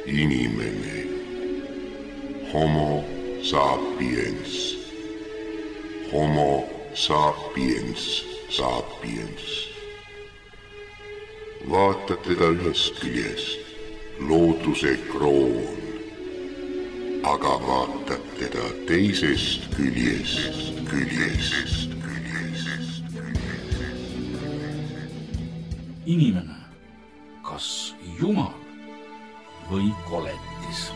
Inimene. Homo sapiens. Homo sapiens sapiens. Vaata teda ühest küljest, looduse kroon, aga vaatad teda teisest küljest. Inimene, kas Jumal või koletis?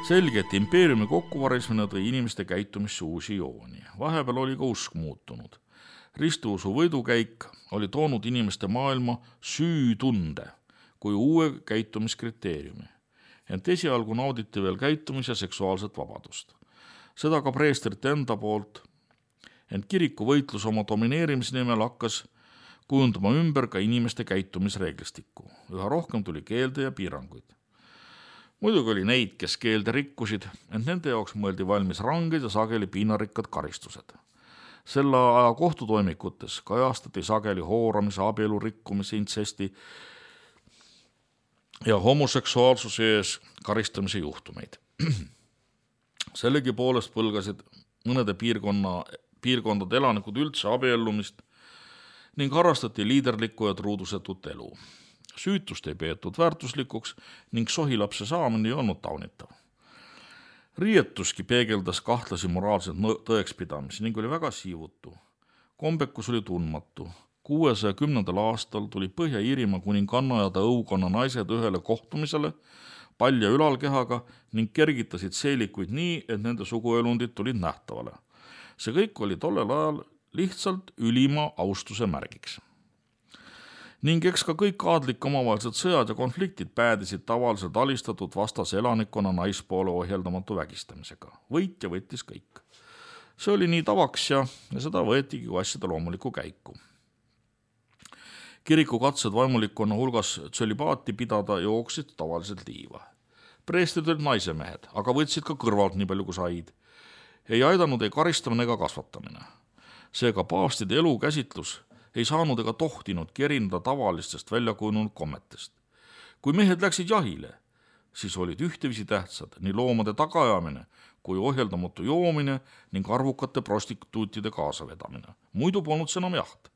Selge, et impeeriumi kokkuvarismine tõi inimeste käitumisse uusi jooni. Vahepeal oli ka usk muutunud. Ristiusu võidukäik oli toonud inimeste maailma süütunde kui uue käitumiskriteeriumi. Ent esialgu nauditi veel käitumis- ja seksuaalset vabadust. Seda ka preestrite enda poolt, ent kiriku võitlus oma domineerimise nimel hakkas kujundama ümber ka inimeste käitumisreeglistikku. Üha rohkem tuli keelde ja piiranguid. Muidugi oli neid, kes keelde rikkusid, ent nende jaoks mõeldi valmis ranged ja sageli piinarikkad karistused. Selle aja kohtutoimikutes kajastati sageli hooramise, abielu rikkumise, intsesti ja homoseksuaalsuse ees karistamise juhtumeid. Sellegi poolest põlgasid mõnede piirkondade elanikud üldse abiellumist ning harrastati liiderlikku ja truudusetut elu. Süütust ei peetud väärtuslikuks ning sohilapse saamine ei olnud taunitav. Riietuski peegeldas kahtlasi moraalseid tõekspidamisi ning oli väga siivutu. Kombekus oli tundmatu. 610. aastal tuli Põhja-Iirimaa kuninganna ja ta õukonna naised ühele kohtumisele palja ülalkehaga ning kergitasid seelikuid nii, et nende suguelundid tulid nähtavale. See kõik oli tollel ajal lihtsalt ülima austuse märgiks. Ning eks ka kõik aadlike omavahelised sõjad ja konfliktid päädisid tavaliselt alistatud vastase elanikkonna naispoole ohjeldamatu vägistamisega. Võitja võttis kõik. See oli nii tavaks ja seda võetigi kui asjade loomulikku käiku. Kiriku katsed vaimulikkonna hulgas tsölibaati pidada jooksid tavaliselt liiva. Preestrid olid naisemehed, aga võtsid ka kõrvalt nii palju kui said. Ei aidanud ei karistamine ega kasvatamine. Seega paavstide elukäsitlus ei saanud ega tohtinud erineda tavalistest väljakujunenud kommetest. Kui mehed läksid jahile, siis olid ühteviisi tähtsad nii loomade tagaajamine kui ohjeldamatu joomine ning arvukate prostituutide kaasavedamine. Muidu polnud see enam jaht.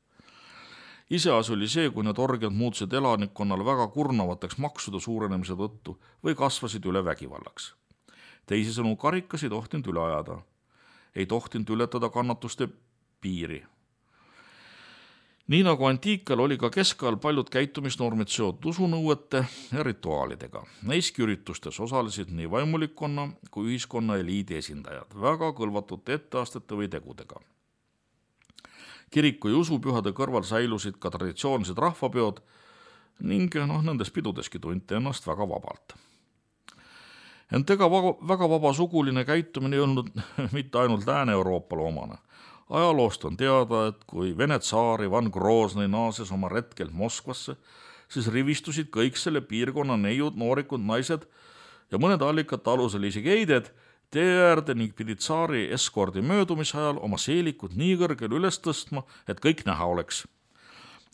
Iseasi oli see, kui need orgiad muutusid elanikkonnale väga kurnavateks maksude suurenemise tõttu või kasvasid üle vägivallaks. Teisisõnu karikas ei tohtinud üle ajada. Ei tohtinud ületada kannatuste piiri. Nii nagu antiikal oli ka keskajal paljud käitumisnormid seotud usunõuete ja rituaalidega. Neiski üritustes osalesid nii vaimulikkonna kui ühiskonna eliidi esindajad väga kõlvatute etteastete või tegudega. Kiriku ja usupühade kõrval säilusid ka traditsioonilised rahvapeod ning nendes pidudeski tunti ennast väga vabalt. Ent ega väga vaba suguline käitumine ei olnud mitte ainult Lääne-Euroopale omane. Ajaloost on teada, et kui Vene tsaar Ivan Groznõi naases oma retkelt Moskvasse, siis rivistusid kõik selle piirkonna neiud, noorikud, naised ja mõned allikate alusel isegi eided tee äärde ning pidid tsaari eskordi möödumise ajal oma seelikud nii kõrgel üles tõstma, et kõik näha oleks.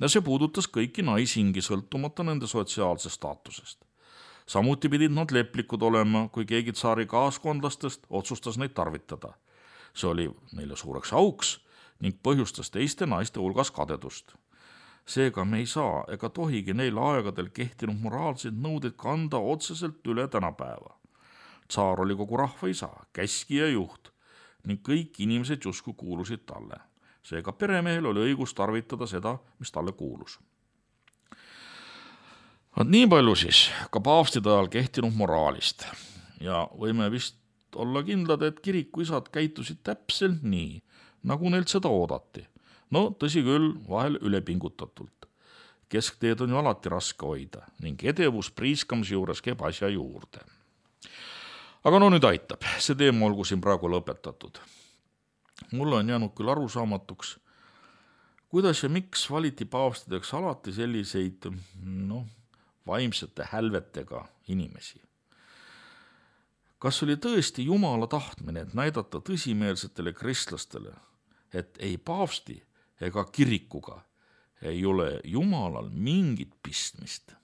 Ja see puudutas kõiki naisingi sõltumata nende sotsiaalsest staatusest. Samuti pidid nad leplikud olema, kui keegi tsaari kaaskondlastest otsustas neid tarvitada. See oli neile suureks auks ning põhjustas teiste naiste hulgas kadedust. Seega me ei saa ega tohigi neil aegadel kehtinud moraalseid nõudeid kanda otseselt üle tänapäeva. Tsaar oli kogu rahva isa, käskija ja juht ning kõik inimesed justkui kuulusid talle. Seega peremehel oli õigus tarvitada seda, mis talle kuulus. Nii palju siis ka paavstide ajal kehtinud moraalist ja võime vist olla kindlad, et kirikuisad käitusid täpselt nii, nagu neilt seda oodati. No tõsi küll, vahel ülepingutatult. Keskteed on ju alati raske hoida ning edevus priiskamise juures käib asja juurde. Aga nüüd aitab, see teema olgu siin praegu lõpetatud. Mulle on jäänud küll arusaamatuks, kuidas ja miks valiti paavstideks alati selliseid vaimsete hälvetega inimesi. Kas oli tõesti Jumala tahtmine, et näidata tõsimeelsetele kristlastele, et ei paavsti ega kirikuga ei ole Jumalal mingit pistmist?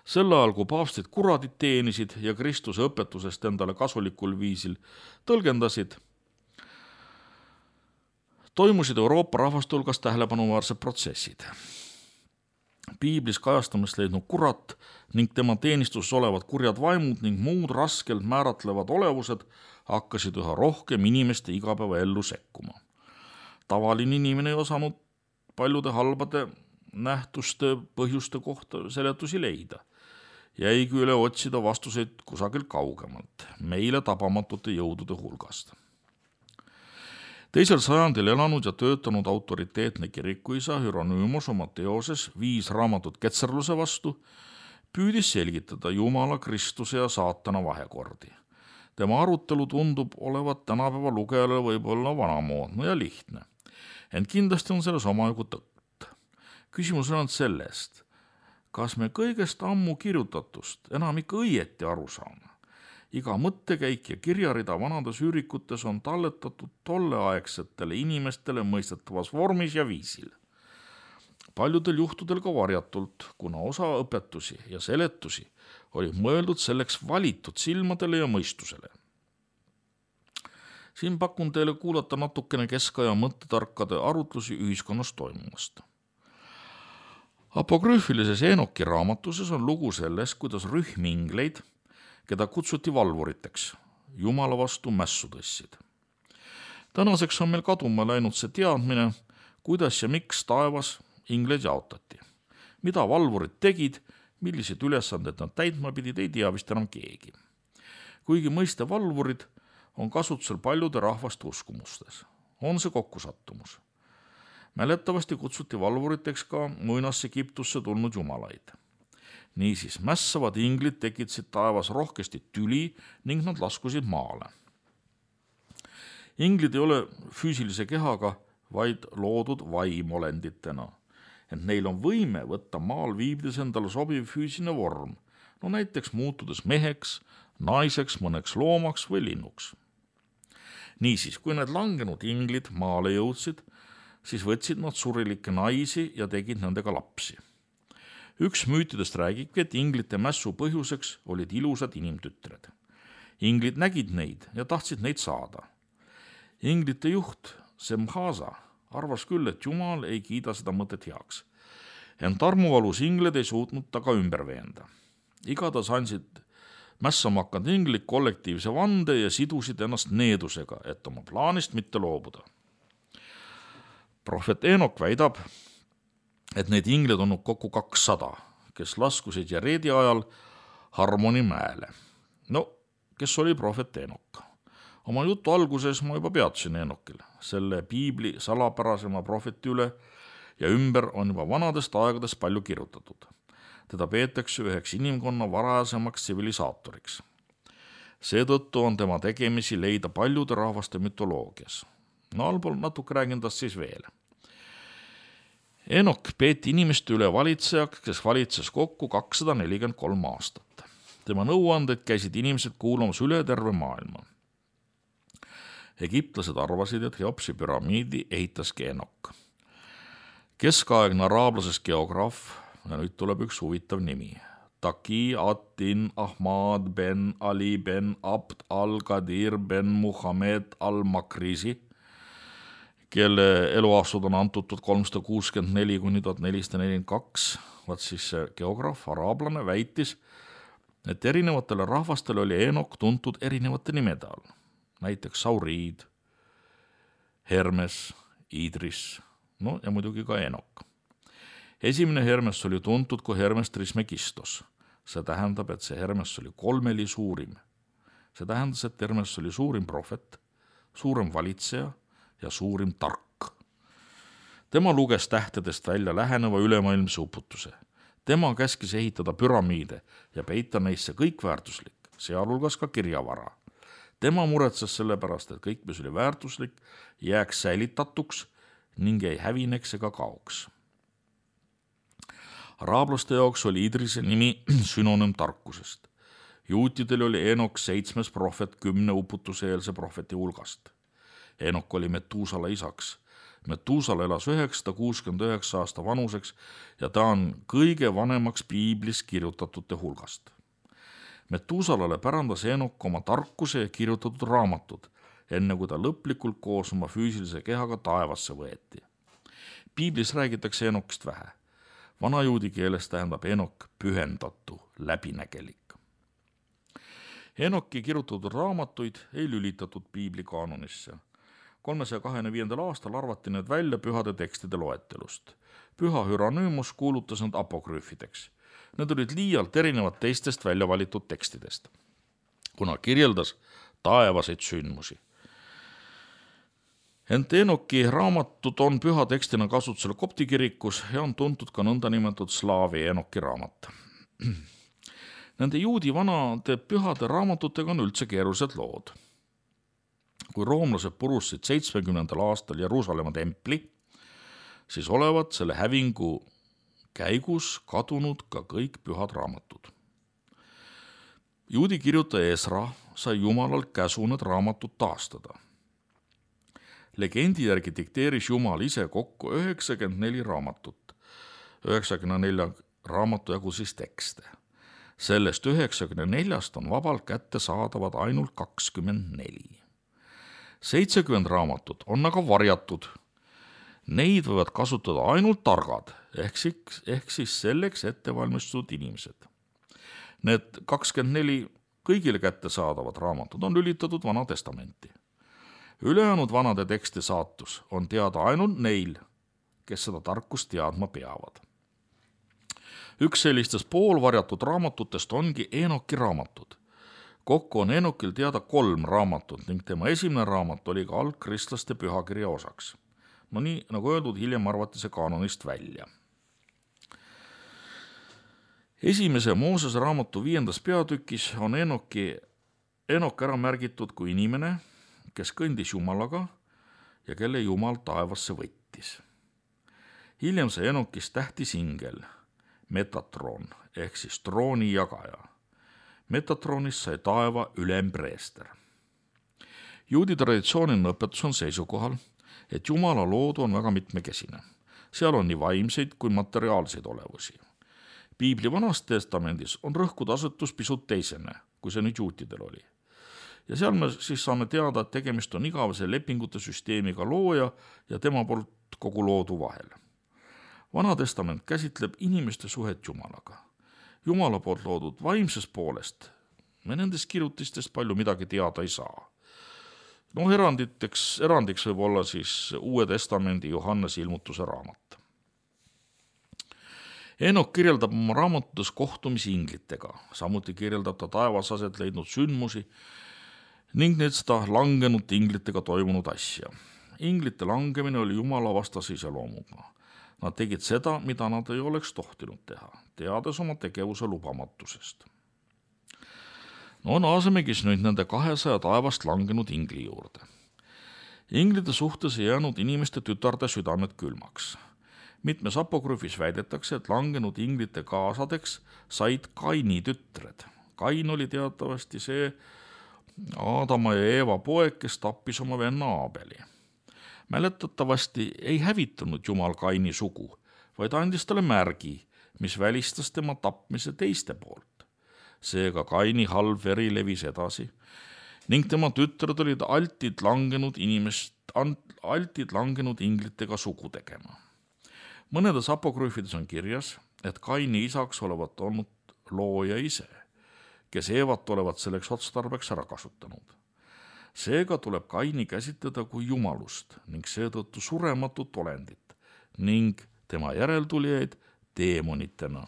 Sel ajal, kui paavstid kuradid teenisid ja Kristuse õpetusest endale kasulikul viisil tõlgendasid, toimusid Euroopa rahvaste hulgas tähelepanuväärsed protsessid. Piiblis kajastamist leidnud kurat ning tema teenistuses olevad kurjad vaimud ning muud raskelt määratlevad olevused hakkasid üha rohkem inimeste igapäevaellu sekkuma. Tavaline inimene ei osanud paljude halbade nähtuste põhjuste kohta seletusi leida. Jäigi üle otsida vastuseid kusagilt kaugemalt, meile tabamatute jõudude hulgast. 2. sajandil elanud ja töötanud autoriteetne kirikuisa Hieronymus oma teoses 5 raamatut ketserluse vastu püüdis selgitada Jumala, Kristuse ja saatana vahekordi. Tema arutelu tundub olevat tänapäeva lugejale võib-olla vanamoodne ja lihtne, ent kindlasti on selles omajagu tõtt. Küsimus on sellest, kas me kõigest ammu kirjutatust enam ikka õieti aru saame. Iga mõttekäik ja kirjarida vanades üürikutes on talletatud tolleaegsetele inimestele mõistetavas vormis ja viisil. Paljudel juhtudel ka varjatult, kuna osa õpetusi ja seletusi oli mõeldud selleks valitud silmadele ja mõistusele. Siin pakun teile kuulata natukene keskaja mõttetarkade arutlusi ühiskonnas toimumast. Apokrüüfilises Enoki raamatuses on lugu sellest, kuidas rühm ingleid, keda kutsuti valvuriteks, Jumala vastu mässu tõssid. Tänaseks on meil kaduma läinud see teadmine, kuidas ja miks taevas ingleid jaotati. Mida valvurid tegid, millised ülesanded nad täitma pidid, ei tea vist enam keegi. Kuigi mõiste valvurid on kasutusel paljude rahvaste uskumustes. On see kokkusattumus. Mäletavasti kutsuti valvuriteks ka muinasse Egiptusse tulnud jumalaid. Niisiis, mässavad inglid tekitasid taevas rohkesti tüli ning nad laskusid maale. Inglid ei ole füüsilise kehaga, vaid loodud vaimolenditena, ent neil on võime võtta maal viibides endale sobiv füüsiline vorm, näiteks muutudes meheks, naiseks, mõneks loomaks või linnuks. Niisiis, kui need langenud inglid maale jõudsid, siis võtsid nad surilikke naisi ja tegid nendega lapsi. Üks müütidest räägibki, et inglite mässu põhjuseks olid ilusad inimtütred. Inglid nägid neid ja tahtsid neid saada. Inglite juht Semhaza arvas küll, et Jumal ei kiida seda mõtet heaks. Ent armuvalus ingled ei suutnud ta ka ümber veenda. Igatahes andsid mässama hakanud inglid kollektiivse vande ja sidusid ennast needusega, et oma plaanist mitte loobuda. Prohvet Enok väidab, et neid ingled on kokku 200, kes laskusid Jaredi ajal Harmoni mäele. Kes oli prohvet Enok? Oma jutu alguses ma juba peatusin Enokil, selle piibli salapärasema prohveti üle ja ümber on juba vanadest aegadest palju kirjutatud. Teda peetakse üheks inimkonna varasemaks tsivilisaatoriks. Seetõttu on tema tegemisi leida paljude rahvaste mütoloogias. Allpool natuke räägin tast siis veel. Enok peeti inimeste üle valitsejaks, kes valitses kokku 243 aastat. Tema nõuandeid käisid inimesed kuulamas üle terve maailma. Egiptlased arvasid, et Cheopsi püramiidi ehitaski Enok. Keskaegne araablases geograaf, ja nüüd tuleb üks huvitav nimi, Taqi ad-Din Ahmad ben Ali ben Abd al-Qadir ben Muhamed al-Makrisi, kelle eluaastud on antud 1364 kuni 1442, vaat siis see geograaf, araablane, väitis, et erinevatele rahvastele oli Enok tuntud erinevate nimede all, näiteks Sauriid, Hermes, Idris, ja muidugi ka Enok. Esimene Hermes oli tuntud kui Hermes Trismegistos. See tähendab, et see Hermes oli 3 suurim. See tähendas, et Hermes oli suurim prohvet, suurem valitseja ja suurim tark. Tema luges tähtedest välja läheneva ülemaailmse uputuse. Tema käskis ehitada püramiide ja peita neisse kõik väärtuslik, sealhulgas ka kirjavara. Tema muretses selle pärast, et kõik, mis oli väärtuslik, jääks säilitatuks ning ei hävineks ega kaoks. Araablaste jaoks oli Idrise nimi sünonüüm tarkusest. juutidel oli Enok 7. prohvet 10 uputuseelse prohveti hulgast. Enok oli Metuusala isaks. Metuusala elas 969 aasta vanuseks ja ta on kõige vanemaks piiblis kirjutatute hulgast. Metuusalale pärandas Enok oma tarkuse ja kirjutatud raamatud, enne kui ta lõplikult koos oma füüsilise kehaga taevasse võeti. Piiblis räägitakse Enokist vähe. Vanajuudi keeles tähendab Enok pühendatu, läbinägelik. Enoki kirjutatud raamatuid ei lülitatud piibli kaanonisse. 325. aastal arvati need välja pühade tekstide loetelust. Püha Hüranüümus kuulutas nad apokrüüfideks. Need olid liialt erinevad teistest välja valitud tekstidest, kuna kirjeldas taevaseid sündmusi. Ent Enoki raamatud on püha tekstina kasutusel kopti kirikus ja on tuntud ka nõndanimetatud slaavi Enoki raamat. Nende juudi vanade pühade raamatutega on üldse keerulised lood. Kui roomlased purustasid 70. aastal Jeruusalemma templi, siis olevat selle hävingu käigus kadunud ka kõik pühad raamatud. Juudi kirjutaja Esra sai Jumalalt käsu need raamatud taastada. Legendi järgi dikteeris Jumal ise kokku 94 raamatut, 94 raamatu jagu siis tekste. Sellest 94-st on vabalt kätte saadavad ainult 24. 70 raamatut on aga varjatud. Neid võivad kasutada ainult targad, ehk siis selleks ettevalmistatud inimesed. Need 24 kõigile kätte saadavad raamatud on lülitatud Vana Testamenti. Ülejäänud vanade teksti saatus on teada ainult neil, kes seda tarkust teadma peavad. Üks sellistest poolvarjatud raamatutest ongi Enoki raamatud. Kokku on Enokil teada 3 raamatut ning tema esimene raamat oli ka algkristlaste pühakirja osaks. No nii, nagu öeldud, hiljem arvati see kaanonist välja. Esimese Moosese raamatu 5. peatükis on Enok ära märgitud kui inimene, kes kõndis Jumalaga ja kelle Jumal taevasse võttis. Hiljem sai Enokist tähtis ingel, Metatron ehk siis trooni jagaja. Metatronist sai taeva ülempreester. Juudi traditsiooniline õpetus on seisukohal, et Jumala loodu on väga mitmekesine. Seal on nii vaimseid kui materiaalseid olevusi. Piibli Vanas Testamendis on rõhkud asetus pisut teisene, kui see nüüd juutidel oli. Ja seal me siis saame teada, et tegemist on igavese lepingute süsteemiga looja ja tema poolt kogu loodu vahel. Vana Testament käsitleb inimeste suhet Jumalaga. Jumala poolt loodud vaimsest poolest me nendest kirjutistest palju midagi teada ei saa. Erandiks võib olla siis Uue Testamendi Johannese ilmutuse raamat. Enok kirjeldab oma raamatutes kohtumisi inglitega, samuti kirjeldab ta taevas aset leidnud sündmusi ning need seda langenud inglitega toimunud asja. Inglite langemine oli Jumala vastase iseloomuga. Nad tegid seda, mida nad ei oleks tohtinud teha, teades oma tegevuse lubamatusest. Naasemegis nüüd nende 200 taevast langenud ingli juurde. Inglide suhtes ei jäänud inimeste tütarde südamed külmaks. Mitmes apokrüüfis väidetakse, et langenud inglite kaasadeks said Kaini tütred. Kain oli teatavasti see Aadama ja Eeva poeg, kes tappis oma venna Aabeli. Mäletatavasti ei hävitanud Jumal Kaini sugu, vaid andis talle märgi, mis välistas tema tapmise teiste poolt. Seega Kaini halb veri levis edasi ning tema tütred olid altid langenud inglitega sugu tegema. Mõnedes apokrüüfides on kirjas, et Kaini isaks olevat olnud looja ise, kes Eevat olevat selleks otstarbeks ära kasutanud. Seega tuleb Kaini käsitleda kui jumalust ning seetõttu surematut olendit ning tema järeltulijaid teemonitena.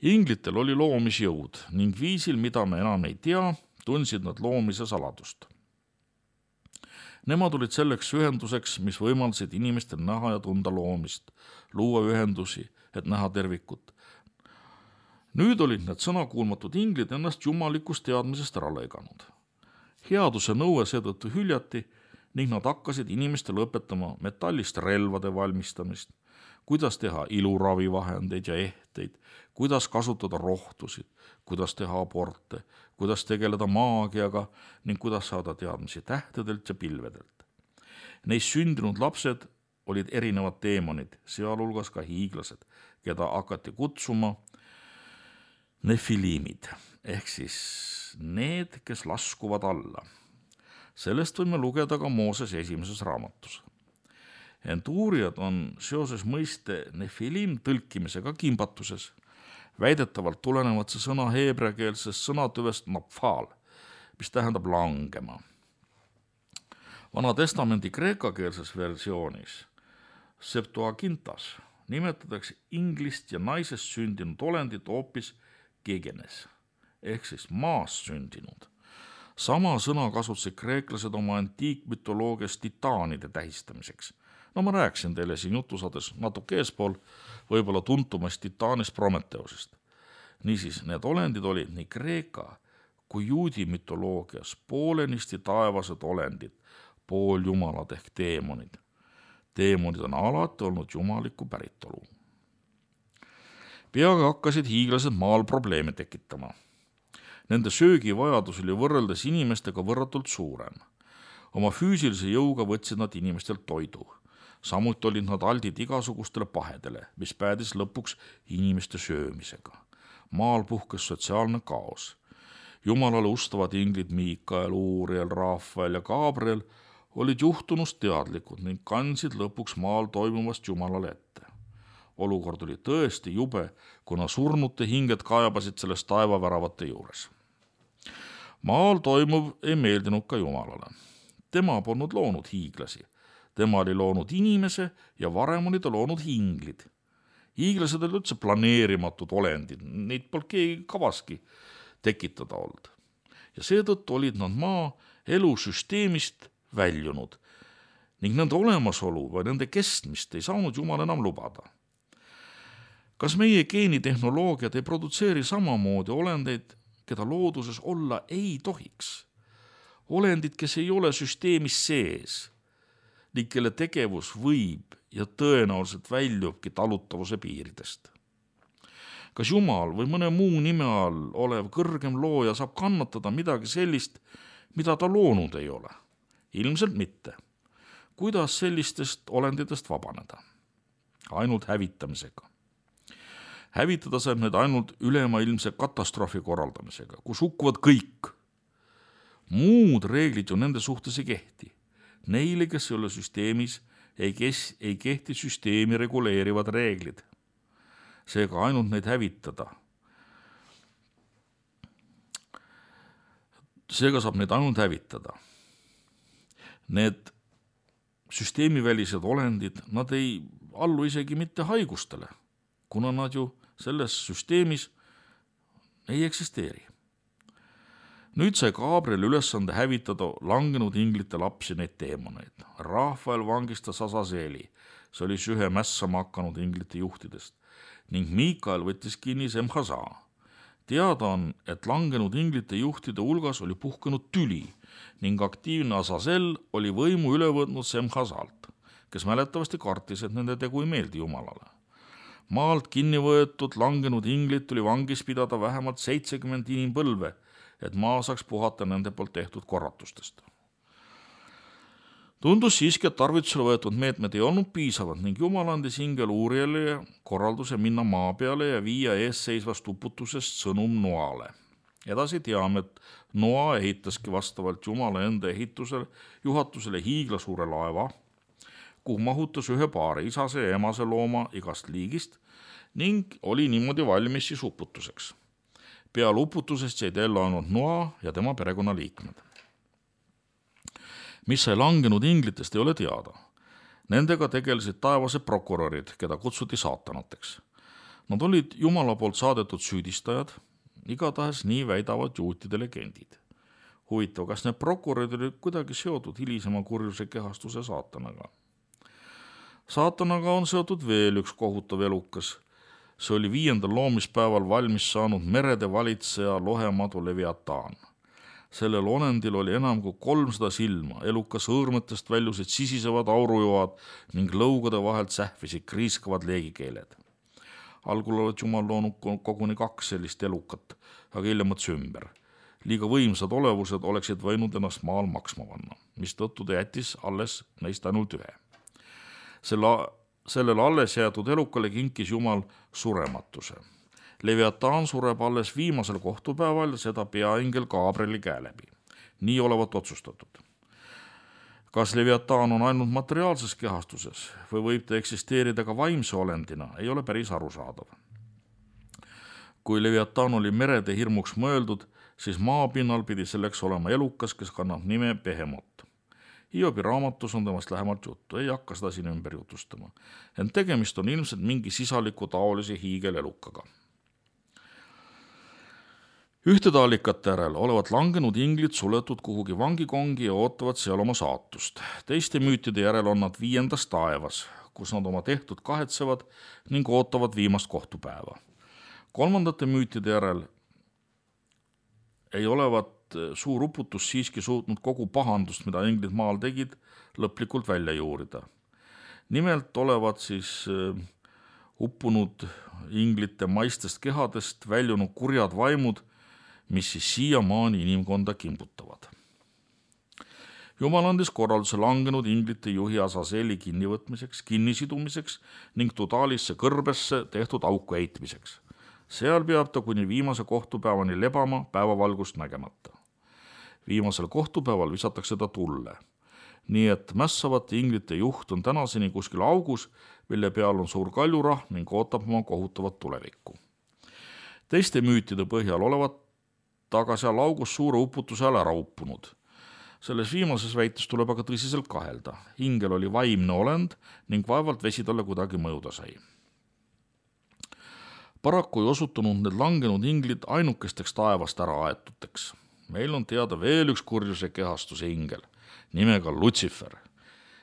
Inglitel oli loomisjõud ning viisil, mida me enam ei tea, tundsid nad loomise saladust. Nemad olid selleks ühenduseks, mis võimaldasid inimestel näha ja tunda loomist, luua ühendusi, et näha tervikut. Nüüd olid need sõnakuulmatud inglid ennast jumalikust teadmisest ära lõiganud. Headuse nõue seetõttu hüljati ning nad hakkasid inimestele õpetama metallist relvade valmistamist, kuidas teha iluravivahendeid ja ehteid, kuidas kasutada rohtusid, kuidas teha aborte, kuidas tegeleda maagiaga ning kuidas saada teadmisi tähtedelt ja pilvedelt. Neis sündinud lapsed olid erinevad teemonid, sealhulgas ka hiiglased, keda hakati kutsuma nefiliimid, ehk siis need, kes laskuvad alla. Sellest võime lugeda ka Mooses esimeses raamatus. Ent uurijad on seoses mõiste nefiliim tõlkimisega kimbatuses. Väidetavalt tulenevad see sõna heebreakeelsest sõnatüvest napfal, mis tähendab langema. Vana testamendi kreekakeelses versioonis Septuagintas nimetatakse inglist ja naisest sündinud olendit hoopis gegenes, ehk siis maas sündinud. Sama sõna kasutasid kreeklased oma antiikmütoloogias titaanide tähistamiseks. No ma rääkisin teile siin jutusades natuke eespool võib-olla tuntumast titaanist Prometheusest. Niisiis, need olendid olid nii kreeka kui juudi mütoloogias poolenisti taevased olendid, pooljumalad ehk teemonid. Teemonid on alati olnud jumaliku päritolu. Peagi hakkasid hiiglased maal probleeme tekitama. Nende söögivajadus oli võrreldes inimestega võrratult suurem. Oma füüsilise jõuga võtsid nad inimestelt toidu. Samuti olid nad aldid igasugustele pahedele, mis päädis lõpuks inimeste söömisega. Maal puhkes sotsiaalne kaos. Jumalale ustavad inglid Miikael, Uuriel, Rafael ja Gabriel olid juhtunust teadlikud ning kandsid lõpuks maal toimuvast Jumalale ette. Olukord oli tõesti jube, kuna surnute hinged kaebasid sellest taevaväravate juures. Maal toimuv ei meeldinud ka Jumalale. Tema polnud loonud hiiglasi. Tema oli loonud inimese ja varem oli ta loonud hinglid. Hiiglased olid üldse planeerimatud olendid, neid polnud keegi kavaski tekitada olnud. Ja seetõttu olid nad maa elusüsteemist väljunud ning nende olemasolu või nende kestmist ei saanud Jumal enam lubada. Kas meie geenitehnoloogiad ei produtseeri samamoodi olendeid, keda looduses olla ei tohiks? Olendid, kes ei ole süsteemis sees ning kelle tegevus võib ja tõenäoliselt väljubki talutavuse piiridest. Kas Jumal või mõne muu nime all olev kõrgem looja saab kannatada midagi sellist, mida ta loonud ei ole? Ilmselt mitte. Kuidas sellistest olenditest vabaneda? Ainult hävitamisega. Hävitada saab need ainult ülemaailmse katastroofi korraldamisega, kus hukkuvad kõik. Muud reeglid ju nende suhtes ei kehti. Neile, kes ei ole süsteemis, ei kehti süsteemi reguleerivad reeglid. Seega ainult neid hävitada. Seega saab neid ainult hävitada. Need süsteemivälised olendid, nad ei allu isegi mitte haigustele, kuna nad ju selles süsteemis ei eksisteeri. Nüüd sai Gabriel ülesande hävitada langenud inglite lapsi neid teemoneid. Rafael vangistas Azazeeli, see oli ühe mässama hakanud inglite juhtidest, ning Miikael võttis kinni Semhaza. Teada on, et langenud inglite juhtide hulgas oli puhkenud tüli ning aktiivne Azazel oli võimu üle võtnud Semhazalt, kes mäletavasti kartis, et nende tegu ei meeldi Jumalale. Maalt kinni võetud langenud inglit tuli vangis pidada vähemalt 70 inimpõlve, et maa saaks puhata nende poolt tehtud korratustest. Tundus siiski, et tarvitusele võetud meetmed ei olnud piisavad ning Jumal andis ingel Uuriele korralduse minna maa peale ja viia eesseisvast uputusest sõnum Noale. Edasi teame, et Noa ehitaski vastavalt Jumala enda juhatusele hiiglasuure laeva, kuhu mahutas ühe paari isase ja emase looma igast liigist ning oli niimoodi valmis siis uputuseks. Peale uputusest jäid ellu ainult Noa ja tema perekonnaliikmed. Mis sai langenud inglitest, ei ole teada. Nendega tegelesid taevased prokurörid, keda kutsuti saatanateks. Nad olid Jumala poolt saadetud süüdistajad, igatahes nii väidavad juutide legendid. Huvitav, kas need prokurörid olid kuidagi seotud hilisema kurjuse kehastuse saatanaga? Saatanaga on seotud veel üks kohutav elukas. See oli 5. loomispäeval valmis saanud merede valitseja lohemadu Leviataan. Sellel olendil oli enam kui 300 silma, eluka sõõrmetest väljusid sisisevad aurujoad ning lõugade vahelt sähvisid kriiskavad leegikeeled. Algul olid Jumal loonud koguni 2 sellist elukat, aga hiljem mõtles ümber. Liiga võimsad olevused oleksid võinud ennast maal maksma panna, mistõttu ta jättis alles neist ainult 1. Sellele alles jäetud elukale kinkis Jumal surematuse. Leviataan sureb alles viimasel kohtupäeval ja seda peaingel Gabrieli käe läbi. Nii olevat otsustatud. Kas Leviataan on ainult materiaalses kehastuses või võib ta eksisteerida ka vaimse olendina, ei ole päris arusaadav. Kui Leviataan oli merede hirmuks mõeldud, siis maapinnal pidi selleks olema elukas, kes kannab nime Behemot. Hiobi raamatus on temast lähemalt juttu, ei hakka seda siin ümber jutustama. Ent tegemist on ilmselt mingi sisaliku taolise hiigelelukaga. Ühtede allikate järel olevat langenud inglid suletud kuhugi vangikongi ja ootavad seal oma saatust. Teiste müütide järel on nad 5. taevas, kus nad oma tehtud kahetsevad ning ootavad viimast kohtupäeva. 3. müütide järel ei olevat suur uputus siiski suutnud kogu pahandust, mida inglid maal tegid, lõplikult välja juurida. Nimelt olevat siis uppunud inglite maistest kehadest väljunud kurjad vaimud, mis siis siiamaani inimkonda kimbutavad. Jumal andis korralduse langenud inglite juhi Asaseli kinnivõtmiseks, kinnisidumiseks ning Tudalisse kõrbesse tehtud auku heitmiseks. Seal peab ta kuni viimase kohtupäevani lebama päevavalgust nägemata. Viimasel kohtupäeval visatakse ta tulle. Nii et mässavate inglite juht on tänaseni kuskil augus, mille peal on suur kaljurah ning ootab oma kohutavat tulevikku. Teiste müütide põhjal olevat taga seal augus suure uputuse ajal ära uppunud. Selles viimases väites tuleb aga tõsiselt kahelda. Ingel oli vaimne olend ning vaevalt vesi talle kuidagi mõjuda sai. Paraku ei osutunud need langenud inglid ainukesteks taevast ära aetuteks. Meil on teada veel üks kurjuse kehastuse ingel, nimega Lutsifer.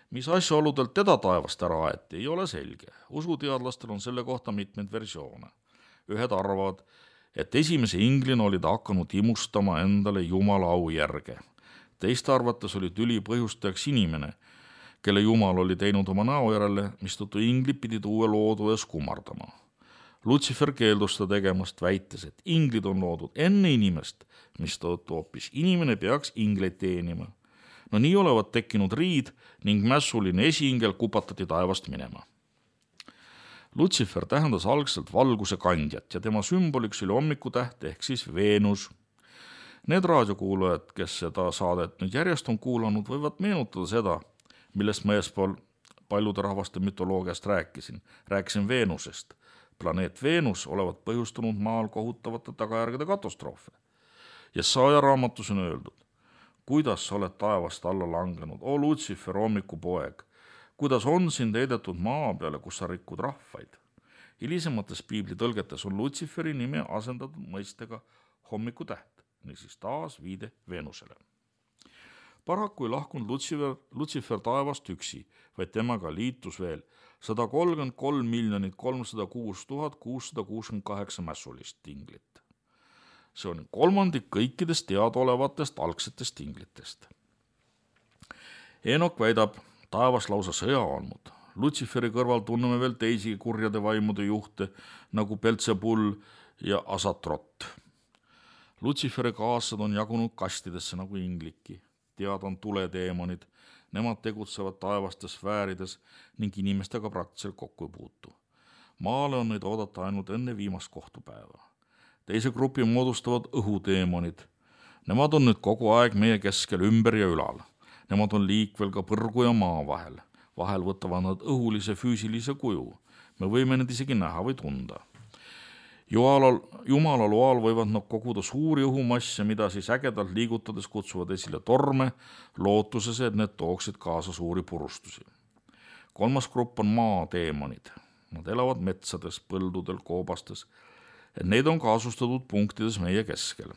Mis asjaoludelt teda taevast ära aeti, ei ole selge. Usuteadlastel on selle kohta mitmeid versioone. Ühed arvavad, et esimese inglina oli ta hakanud imustama endale Jumala au järge. Teiste arvates oli tüli põhjustajaks inimene, kelle Jumal oli teinud oma näo järele, mistõttu inglid pidid uue loodu ees kummardama. Lutsifer keeldus seda tegemast, väites, et inglid on loodud enne inimest, mistõttu hoopis inimene peaks ingleid teenima. No nii olevat tekkinud riid ning mässuline esiingel kupatati taevast minema. Lutsifer tähendas algselt valguse kandjat ja tema sümboliks oli hommikutäht ehk siis Veenus. Need raadiokuulajad, kes seda saadet nüüd järjest on kuulanud, võivad meenutada seda, millest ma eespool paljude rahvaste mütoloogiast rääkisin. Rääkisin Veenusest. Planeet Veenus olevat põhjustanud maal kohutavate tagajärgede katastroofe. Jesaja raamatus on öeldud, kuidas sa oled taevast alla langenud, o Lutsifer, hommikupoeg, kuidas on sind heidetud maa peale, kus sa rikud rahvaid. Hilisemates piibli tõlgetes on Lutsiferi nime asendatud mõistega hommikutäht, niisiis taas viide Veenusele. Paraku ei lahkunud Lutsifer taevast üksi, vaid temaga liitus veel 133 306 668 mässulist inglit. See on 1/3 kõikidest teadaolevatest algsetest inglitest. Enok väidab taevas lausa sõja olnud. Lutsiferi kõrval tunneme veel teisi kurjade vaimude juhte nagu Belzebul ja Asatrot. Lutsiferi kaaslased on jagunud kastidesse nagu ingliki. Tead on tuledeemonid, nemad tegutsevad taevastes sfäärides ning inimestega praktiliselt kokku ei puutu. Maale on neid oodata ainult enne viimast kohtupäeva. Teise grupi moodustavad õhudeemonid. Nemad on nüüd kogu aeg meie keskel ümber ja ülal. Nemad on liikvel ka põrgu ja maa vahel. Vahel võtavad nad õhulise füüsilise kuju. Me võime need isegi näha või tunda. Jumala loal võivad nad koguda suuri õhumasse, mida siis ägedalt liigutades kutsuvad esile torme, lootuses, et need tooksid kaasa suuri purustusi. 3. grupp on maadeemonid. Nad elavad metsades, põldudel, koobastes, et neid on kaasustatud punktides meie keskel.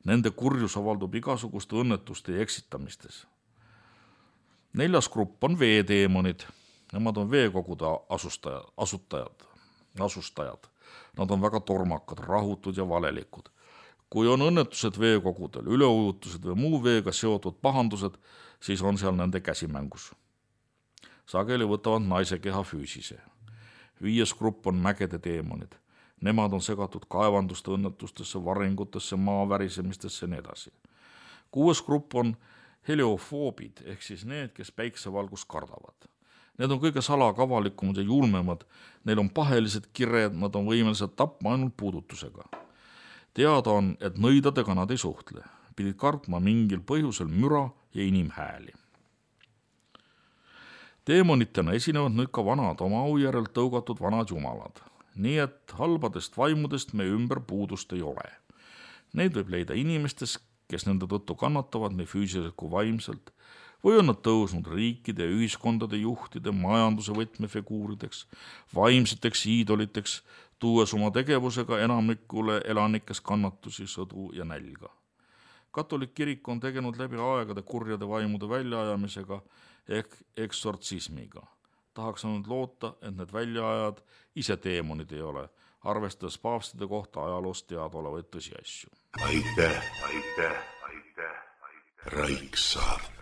Nende kurjus avaldub igasuguste õnnetuste ja eksitamistes. 4. grupp on veedeemonid. Nemad on veekogude asustajad. Nad on väga tormakad, rahutud ja valelikud. Kui on õnnetused veekogudel, üleujutused või muu veega seotud pahandused, siis on seal nende käsimängus. Sageli võtavad naise keha füüsise. 5. grupp on mägede teemonid. Nemad on segatud kaevanduste õnnetustesse, varingutesse, maavärisemistesse ja nii edasi. 6. grupp on heliofoobid ehk siis need, kes päiksevalgust kardavad. Need on kõige salakavalikumad ja julmemad, neil on pahelised kired, nad on võimelised tapma ainult puudutusega. Teada on, et nõidadega nad ei suhtle, pidid kartma mingil põhjusel müra ja inimhääli. Teemonitena esinevad nüüd ka vanad oma au järel tõugatud vanad jumalad, nii et halbadest vaimudest meie ümber puudust ei ole. Neid võib leida inimestes, kes nende tõttu kannatavad nii füüsiliselt kui vaimselt, või on nad tõusnud riikide ja ühiskondade juhtide, majanduse võtmefiguurideks, vaimseteks iidoliteks, tuues oma tegevusega enamikule elanikes kannatusi, sõdu ja nälga. Katolik kirik on tegenud läbi aegade kurjade vaimude väljaajamisega ehk eksortsismiga. Tahaks ainult loota, et need väljaajad ise teemonid ei ole, arvestades paavstide kohta ajaloost teadaolevaid tõsiasju. Aitäh. Raiksaart.